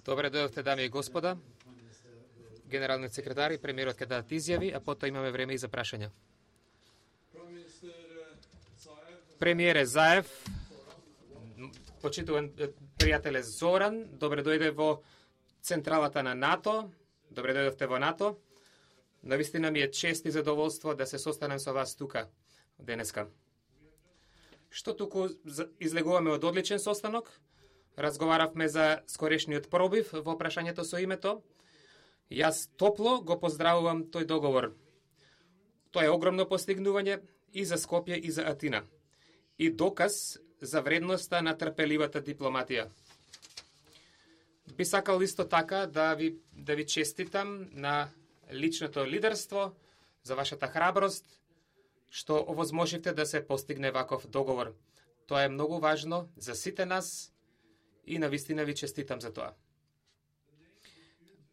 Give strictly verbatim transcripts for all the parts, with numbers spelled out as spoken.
Добре дојдовте, дами и господа. Генералниот секретар и премиерот ќе дадат изјави, а потоа имаме време и за прашања. Премиере Заев, почитуван пријателе Зоран, добре дојде во централата на НАТО, добре дојдовте во НАТО. Навистина ми е чест и задоволство да се состанем со вас тука денеска. Што туку излегуваме од одличен состанок, разговаравме за скорешниот пробив во прашањето со името. Јас топло го поздравувам тој договор. Тоа е огромно постигнување и за Скопје и за Атина. И доказ за вредноста на трпеливата дипломатија. Би сакал исто така да ви, да ви честитам на личното лидерство, за вашата храброст, што овозможивте да се постигне ваков договор. Тоа е многу важно за сите нас и навистина ви честитам за тоа.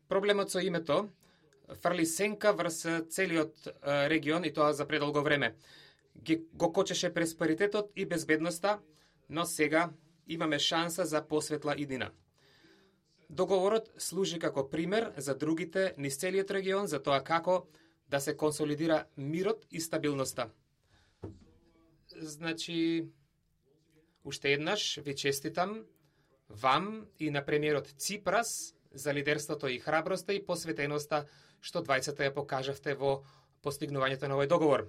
Проблемот со името фрли сенка врз целиот регион и тоа за предолго време. Го кочеше просперитетот и безбедноста, но сега имаме шанса за посветла иднина. Договорот служи како пример за другите низ целиот регион за тоа како да се консолидира мирот и стабилноста. Значи, уште еднаш ви честитам вам и на премиерот Ципрас за лидерството и храброста и посветеноста што двајцата ја покажавте во постигнувањето на овој договор.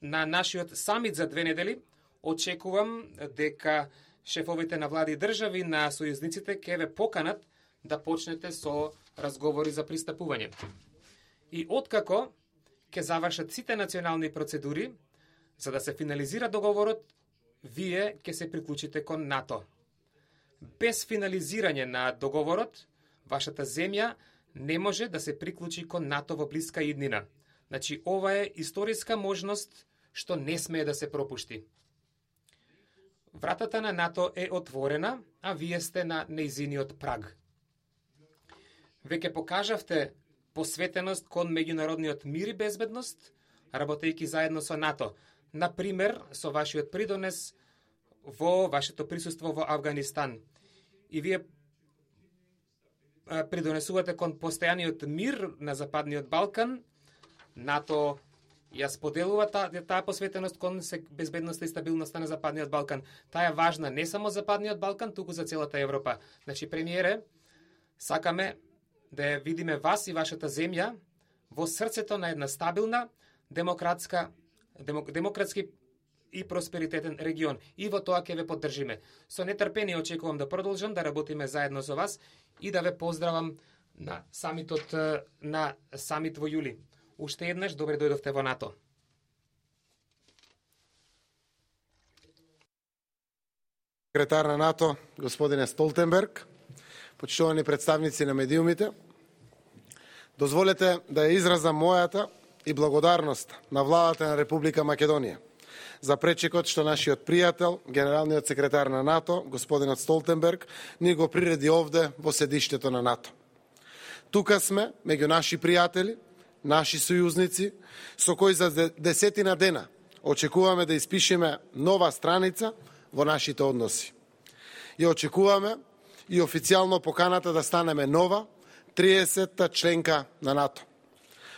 На нашиот самит за две недели очекувам дека шефовите на влади и држави на сојузниците ќе ве поканат да почнете со разговори за пристапување. И откако ќе завршат сите национални процедури за да се финализира договорот, вие ќе се приклучите кон НАТО. Без финализирање на договорот, вашата земја не може да се приклучи кон НАТО во блиска иднина. Значи, ова е историска можност што не смее да се пропушти. Вратата на НАТО е отворена, а вие сте на нејзиниот праг. Веќе покажавте посветеност кон меѓународниот мир и безбедност, работејќи заедно со НАТО. Например, со вашиот придонес во вашето присуство во Авганистан. И вие придонесувате кон постојаниот мир на Западниот Балкан. НАТО ја споделува таа, таа посветеност кон безбедноста и стабилноста на Западниот Балкан. Таа е важна не само за Западниот Балкан, туку за целата Европа. Значи, премиере, сакаме да ја видиме вас и вашата земја во срцето на една стабилна, демократска, демок, демократски и просперитетен регион. И во тоа ќе ве поддржиме. Со нетрпение очекувам да продолжам да работиме заедно со вас и да ве поздравам на самитот на самит во јули. Уште еднаш добре дојдовте во НАТО. Секретар на НАТО, господине Столтенберг, почитувани представници на медиумите, дозволете да ја изразам мојата и благодарност на владата на Република Македонија за пречекот што нашиот пријател, генералниот секретар на НАТО, господинот Столтенберг, ни го приреди овде во седиштето на НАТО. Тука сме, меѓу наши пријатели, наши сојузници, со кои за десетина дена очекуваме да испишеме нова страница во нашите односи. И очекуваме и официјално поканата да станеме нова, триесетта членка на НАТО.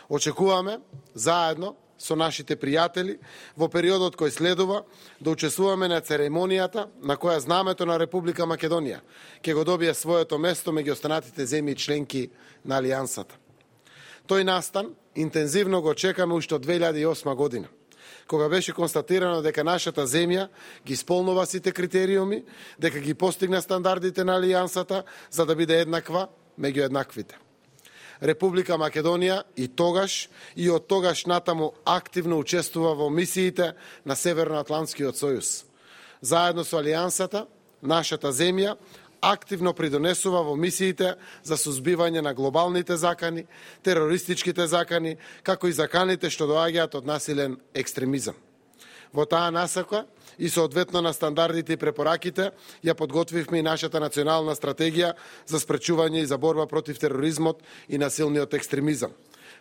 Очекуваме заедно со нашите пријатели во периодот кој следува да учествуваме на церемонијата на која знамето на Република Македонија ќе го добие своето место меѓу останатите земји членки на Алијансата. Тој настан интензивно го чекаме уште од две илјади и осма година, кога беше констатирано дека нашата земја ги исполнува сите критериуми, дека ги постигна стандардите на Алијансата за да биде еднаква меѓу еднаквите. Република Македонија и тогаш и од тогаш натаму активно учествува во мисиите на Северноатлантскиот сојуз. Заедно со Алијансата, нашата земја активно придонесува во мисиите за сузбивање на глобалните закани, терористичките закани, како и заканите што доаѓаат од насилен екстремизам. Во таа насока и соодветно на стандардите и препораките ја подготвивме и нашата национална стратегија за спречување и за борба против тероризмот и насилниот екстремизам.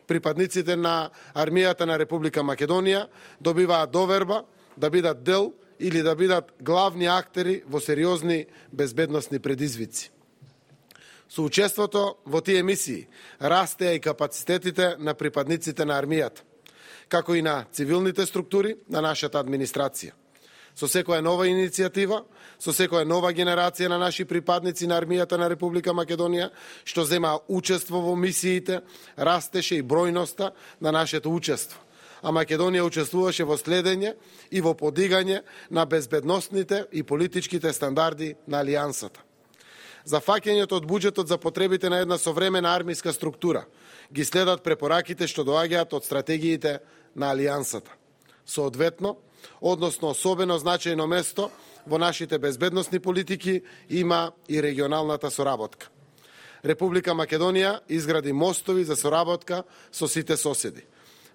Припадниците на армијата на Република Македонија добиваат доверба да бидат дел или да бидат главни актери во сериозни безбедносни предизвици. Со учеството во тие мисии растеа и капацитетите на припадниците на армијата, како и на цивилните структури на нашата администрација. Со секоја нова иницијатива, со секоја нова генерација на наши припадници на армијата на Република Македонија, што зема учество во мисиите, растеше и бројноста на нашето учество. А Македонија учествуваше во следење и во подигање на безбедносните и политичките стандарди на Алијансата. За фаќањето од буџетот за потребите на една современа армиска структура ги следат препораките што доаѓаат од стратегиите на Алијансата. Соодветно, односно особено значајно место во нашите безбедносни политики има и регионалната соработка. Република Македонија изгради мостови за соработка со сите соседи.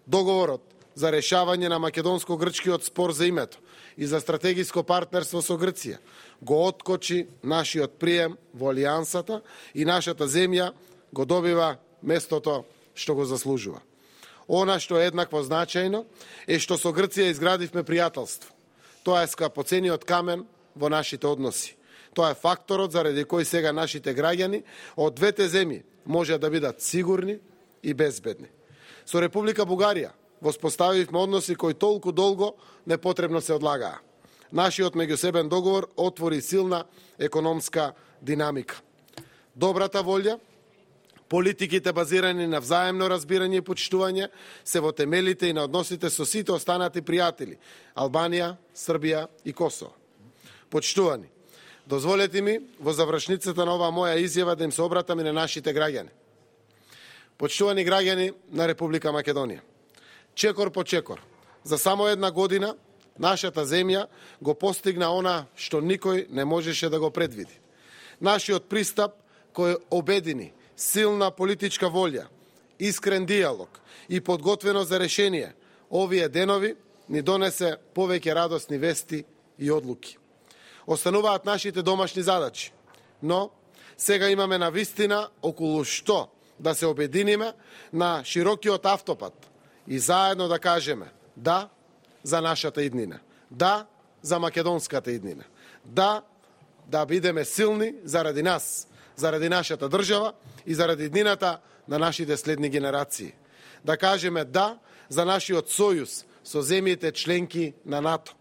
Договорот за решавање на македонско-грчкиот спор за името и за стратегиско партнерство со Грција го откочи нашиот прием во Алијансата и нашата земја го добива местото што го заслужува. Она што е еднакво значајно е што со Грција изградивме пријателство. Тоа е скапоцениот камен во нашите односи. Тоа е факторот заради кој сега нашите граѓани од двете земји може да бидат сигурни и безбедни. Со Република Бугарија воспоставивме односи кои толку долго непотребно се одлагаа. Нашиот меѓусебен договор отвори силна економска динамика. Добрата волја, политиките базирани на взаемно разбирање и почитување се во темелите и на односите со сите останати пријатели Албанија, Србија и Косово. Почитувани, дозволете ми во завршницата на оваа моја изјава да им се обратам и на нашите граѓани. Почитувани граѓани на Република Македонија, чекор по чекор, за само една година нашата земја го постигна она што никој не можеше да го предвиди. Нашиот пристап кој обедини силна политичка волја, искрен диалог и подготвено за решение, овие денови ни донесе повеќе радосни вести и одлуки. Остануваат нашите домашни задачи, но сега имаме навистина околу што да се обединиме на широкиот автопат и заедно да кажеме да за нашата иднина, да за македонската иднина, да да бидеме силни заради нас, заради нашата држава и заради иднината на нашите следни генерации. Да кажеме да за нашиот сојуз со земјите членки на НАТО.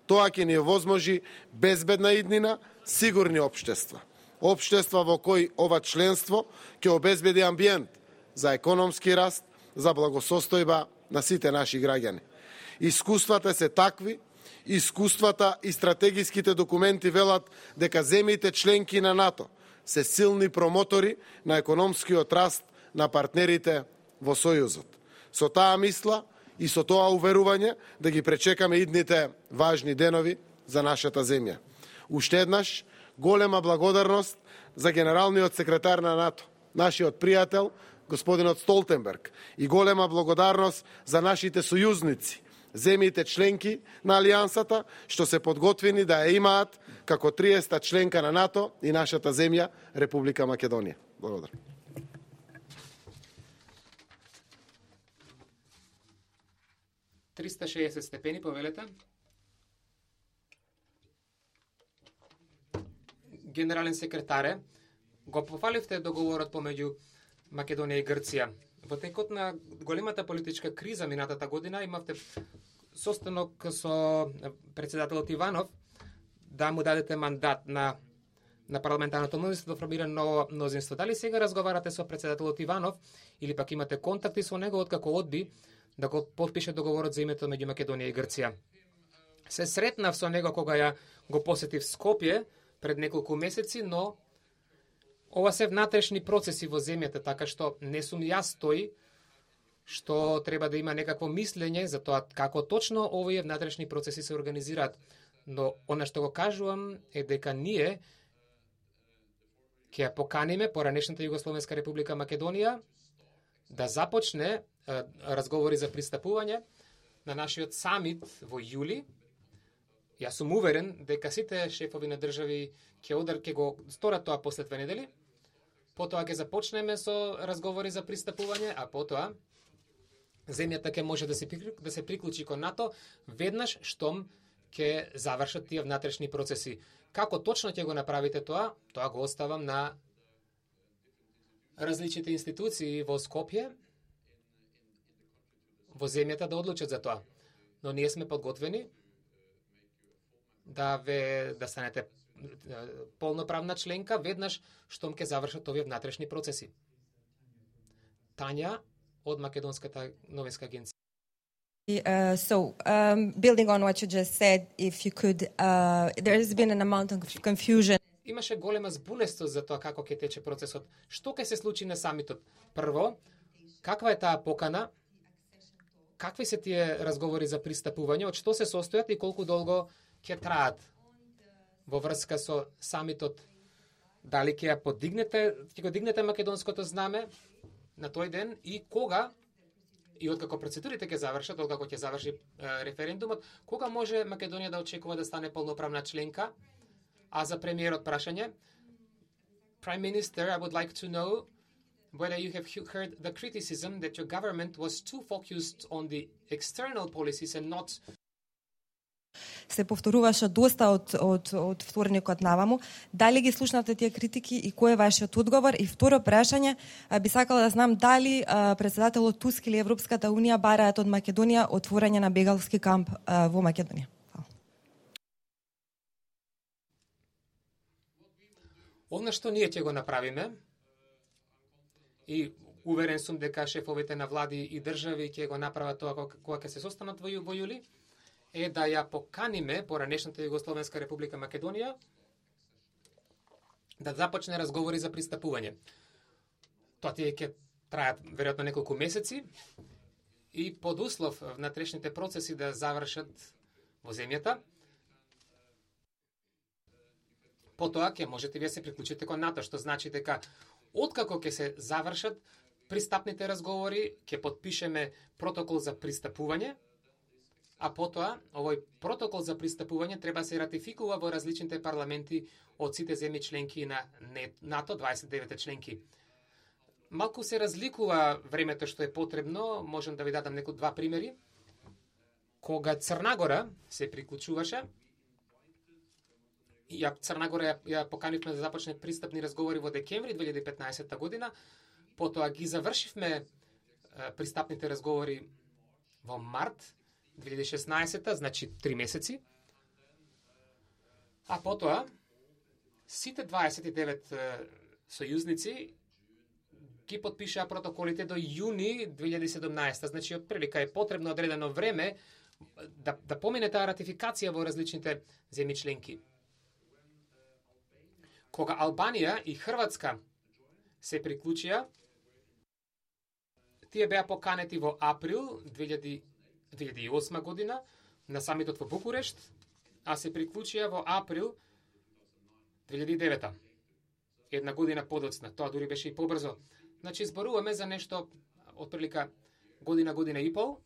Тоа ќе ни овозможи безбедна иднина, сигурни општества. Општества во кои ова членство ќе обезбеди амбиент за економски раст, за благосостојба на сите наши граѓани. Искуствата се такви, искуствата и стратегиските документи велат дека земјите членки на НАТО се силни промотори на економскиот раст на партнерите во Сојузот. Со таа мисла и со тоа уверување да ги пречекаме идните важни денови за нашата земја. Уште еднаш, голема благодарност за генералниот секретар на НАТО, нашиот пријател, господинот Столтенберг, и голема благодарност за нашите сојузници, земјите членки на Алијансата, што се подготвени да ја имаат како триесета членка на НАТО и нашата земја, Република Македонија. Благодарам. триста и шеесет степени, повелете. Генерален секретаре, го пофаливте договорот помеѓу Македонија и Грција. Во текот на големата политичка криза минатата година имавте состанок со председателот Иванов да му дадете мандат на на парламентарното мнозинство да формира ново мнозинство. Дали сега разговарате со председателот Иванов или пак имате контакти со него откако одби да го подпише договорот за името меѓу Македонија и Грција? Се сретнав со него кога ја го посетив Скопје пред неколку месеци, но ова се внатрешни процеси во земјата, така што не сум јас тој што треба да има некакво мислење за тоа како точно овие внатрешни процеси се организираат. Но она што го кажувам е дека ние ќе ја поканиме поранешната Југословенска република Македонија да започне е, разговори за пристапување на нашиот самит во јули. Јас сум уверен дека сите шефови на држави ќе одар ќе го сторат тоа после две недели. Потоа ќе започнеме со разговори за пристапување, а потоа земјата ќе може да се да се приклучи кон НАТО веднаш штом ќе завршат тие внатрешни процеси. Како точно ќе го направите тоа, тоа го оставам на различните институции во Скопје, во земјата да одлучат за тоа. Но ние сме подготвени да ве да станете полноправна членка веднаш штом ќе завршат овие внатрешни процеси. Тања од Македонската новинска агенција. Uh, so, um, building on what you just said, if you could, uh, there has been an amount of confusion. Имаше голема збунестост за тоа како ќе тече процесот. Што ќе се случи на самитот? Прво, каква е таа покана? Какви се тие разговори за пристапување? Од што се состојат и колку долго ќе траат? Во врска со самитот, дали ќе ја подигнете, ќе го дигнете македонското знаме на тој ден и кога и откако процедурите ќе завршат, откако ќе заврши е, референдумот, кога може Македонија да очекува да стане полноправна членка? А за премиерот прашање, Prime Minister, I would like to know whether you have heard the criticism that your government was too focused on the external policies and not Се повторуваше доста од, од, од вторникот наваму. Дали ги слушнавте тие критики и кој е вашиот одговор? И второ прашање, би сакала да знам дали а, председателот Туск или Европската Унија бараат од Македонија отворање на бегалски камп а, во Македонија. Она што ние ќе го направиме и уверен сум дека шефовите на влади и држави ќе го направат тоа кога ќе се состанат во, во јули, е да ја поканиме поранешната Југословенска република Македонија да започне разговори за пристапување. Тоа тие ќе трајат веројатно неколку месеци и под услов внатрешните процеси да завршат во земјата. Потоа ќе можете вие се приклучите кон НАТО, што значи дека откако ќе се завршат пристапните разговори, ќе потпишеме протокол за пристапување, а потоа овој протокол за пристапување треба се ратификува во различните парламенти од сите земји членки на НАТО, дваесет и девет членки. Малку се разликува времето што е потребно, можам да ви дадам некои два примери. Кога Црна Гора се приклучуваше, ја Црна Гора ја, ја поканивме да започне пристапни разговори во декември две илјади и петнаесетта година, потоа ги завршивме е, пристапните разговори во март две илјади и шеснаесетта, значи три месеци. А потоа сите дваесет и девет е, сојузници ги потпишаа протоколите до јуни две илјади и седумнаесетта, значи отприлика е потребно одредено време да да помине таа ратификација во различните земји членки. Кога Албанија и Хрватска се приклучија, тие беа поканети во април две илјади и осма година на самитот во Букурешт, а се приклучија во април две илјади и девета. Една година подоцна, тоа дури беше и побрзо. Значи, зборуваме за нешто отприлика година, година и пол,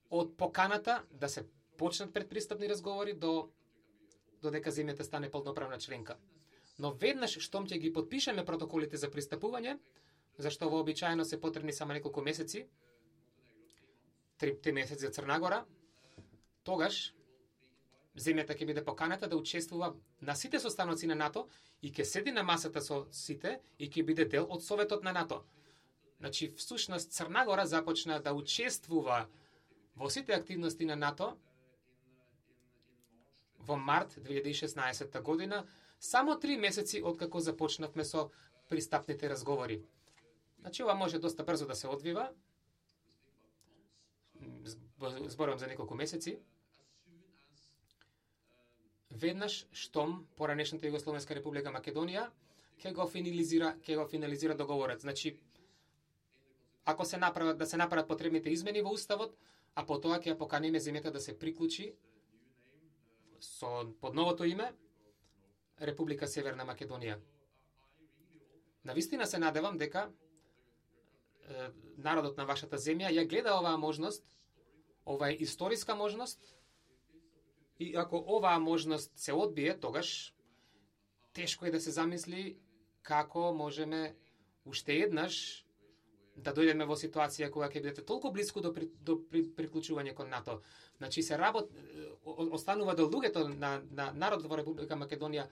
од поканата да се почнат предпристапни разговори до додека земјата стане полноправна членка. Но веднаш штом ќе ги потпишеме протоколите за пристапување, зашто вообичаено се потребни само неколку месеци, три, три месеци за Црна Гора, тогаш земјата ќе биде поканата да учествува на сите состаноци на НАТО и ќе седи на масата со сите и ќе биде дел од Советот на НАТО. Значи, всушност, Црна Гора започна да учествува во сите активности на НАТО во март две илјади и шеснаесетта година, само три месеци откако започнавме со пристапните разговори. Значи, ова може доста брзо да се одвива. Зборувам за неколку месеци. Веднаш штом поранешната Југословенска република Македонија ќе го финализира, ќе го финализира договорот. Значи, ако се направат да се направат потребните измени во уставот, а потоа ќе ја поканиме земјата да се приклучи со под новото име Република Северна Македонија. Навистина се надевам дека е, народот на вашата земја ја гледа оваа можност, ова е историска можност, и ако оваа можност се одбие, тогаш тешко е да се замисли како можеме уште еднаш да дојдеме во ситуација кога ќе бидете толку близко до, при, до при, приклучување кон НАТО. Значи се работ, останува до луѓето на, на народот во Република Македонија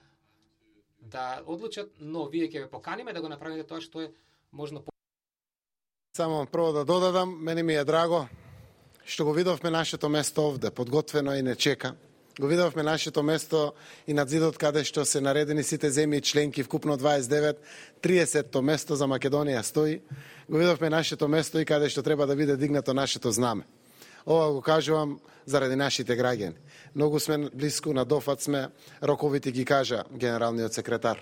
да одлучат, но вие ќе ве поканиме да го направите тоа што е можно. Само прво да додадам, мене ми е драго што го видовме нашето место овде, подготвено и не чека. Го видовме нашето место и над зидот каде што се наредени сите земји членки, вкупно дваесет и девет, триесетто место за Македонија стои. Го видовме нашето место и каде што треба да биде дигнато нашето знаме. Ова го кажувам заради нашите граѓани. Многу сме близко, на дофат сме, роковите ги кажа генералниот секретар.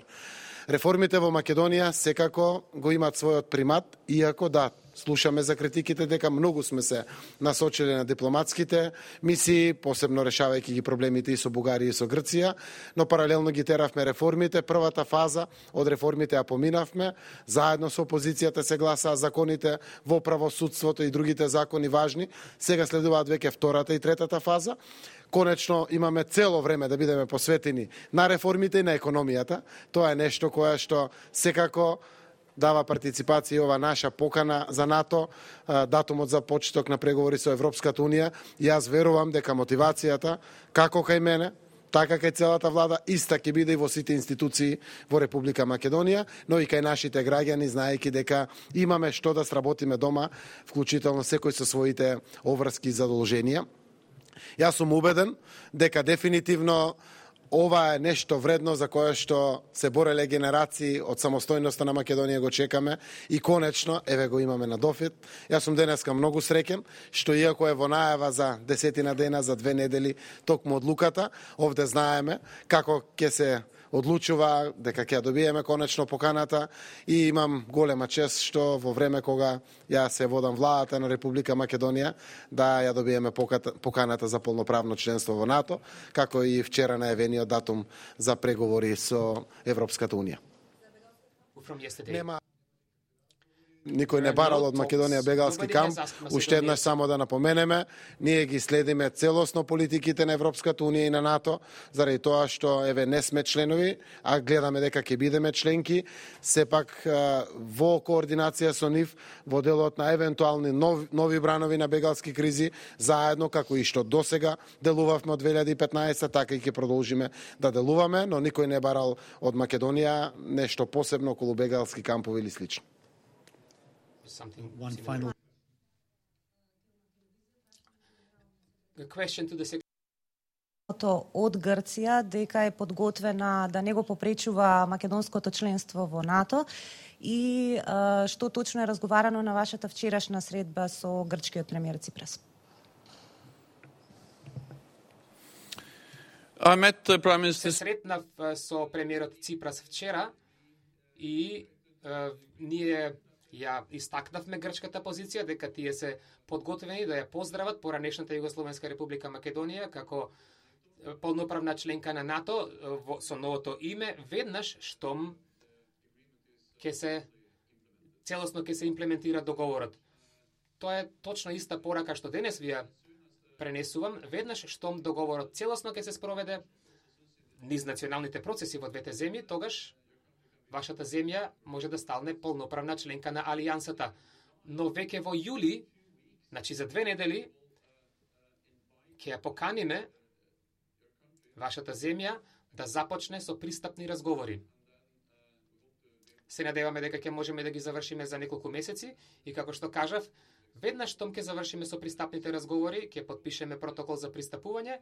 Реформите во Македонија секако го имаат својот примат, иако да, слушаме за критиките дека многу сме се насочили на дипломатските мисии, посебно решавајќи ги проблемите и со Бугарија и со Грција, но паралелно ги теравме реформите. Првата фаза од реформите ја поминавме, заедно со опозицијата се гласаа законите во правосудството и другите закони важни. Сега следуваат веќе втората и третата фаза. Конечно имаме цело време да бидеме посветени на реформите и на економијата. Тоа е нешто кое што секако дава партиципација ова наша покана за НАТО, датумот за почеток на преговори со Европската Унија. И јас верувам дека мотивацијата, како кај мене, така кај целата влада, иста ќе биде и во сите институции во Република Македонија, но и кај нашите граѓани, знаејќи дека имаме што да сработиме дома, вклучително секој со своите обврски и задолженија. Јас сум убеден дека дефинитивно ова е нешто вредно за кое што се бореле генерации од самостојноста на Македонија, го чекаме и конечно, еве го имаме на дофит. Јас сум денеска многу среќен што иако е во најава за десетина дена, за две недели, токму одлуката, овде знаеме како ќе се одлучува, дека ќе ја добиеме конечно поканата и имам голема чест што во време кога ја се водам владата на Република Македонија да ја добиеме поканата за полноправно членство во НАТО, како и вчера најавениот датум за преговори со Европската Унија. Нема никој не барал од Македонија бегалски камп. Уште еднаш само да напоменеме, ние ги следиме целосно политиките на Европската Унија и на НАТО, заради тоа што еве не сме членови, а гледаме дека ќе бидеме членки, сепак во координација со нив во делот на евентуални нови, нови бранови на бегалски кризи, заедно како и што досега делувавме од две илјади и петнаесетта, така и ќе продолжиме да делуваме, но никој не барал од Македонија нешто посебно околу бегалски кампови или слично. One final question to the од Грција дека е подготвена да не го попречува македонското членство во НАТО и а, што точно е разговарано на вашата вчерашна средба со грчкиот премиер Ципрас? I met the Prime Minister. Се сретнав со премиерот Ципрас вчера и uh, ние ја истакнавме грчката позиција дека тие се подготвени да ја поздрават поранешната Југословенска република Македонија како полноправна членка на НАТО со новото име, веднаш штом ќе се целосно ќе се имплементира договорот. Тоа е точно иста порака што денес ви ја пренесувам, веднаш штом договорот целосно ќе се спроведе низ националните процеси во двете земји, тогаш вашата земја може да стане полноправна членка на Алијансата. Но веќе во јули, значи за две недели, ќе ја поканиме вашата земја да започне со пристапни разговори. Се надеваме дека ќе можеме да ги завршиме за неколку месеци и како што кажав, веднаш штом ќе завршиме со пристапните разговори, ќе потпишеме протокол за пристапување,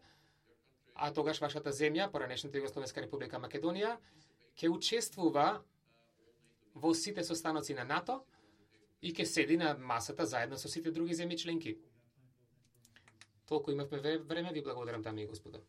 а тогаш вашата земја, поранешната Југословенска република Македонија, ќе учествува во сите состаноци на НАТО и ќе седи на масата заедно со сите други земји членки. Толку имавме време, ви благодарам, дами и господа.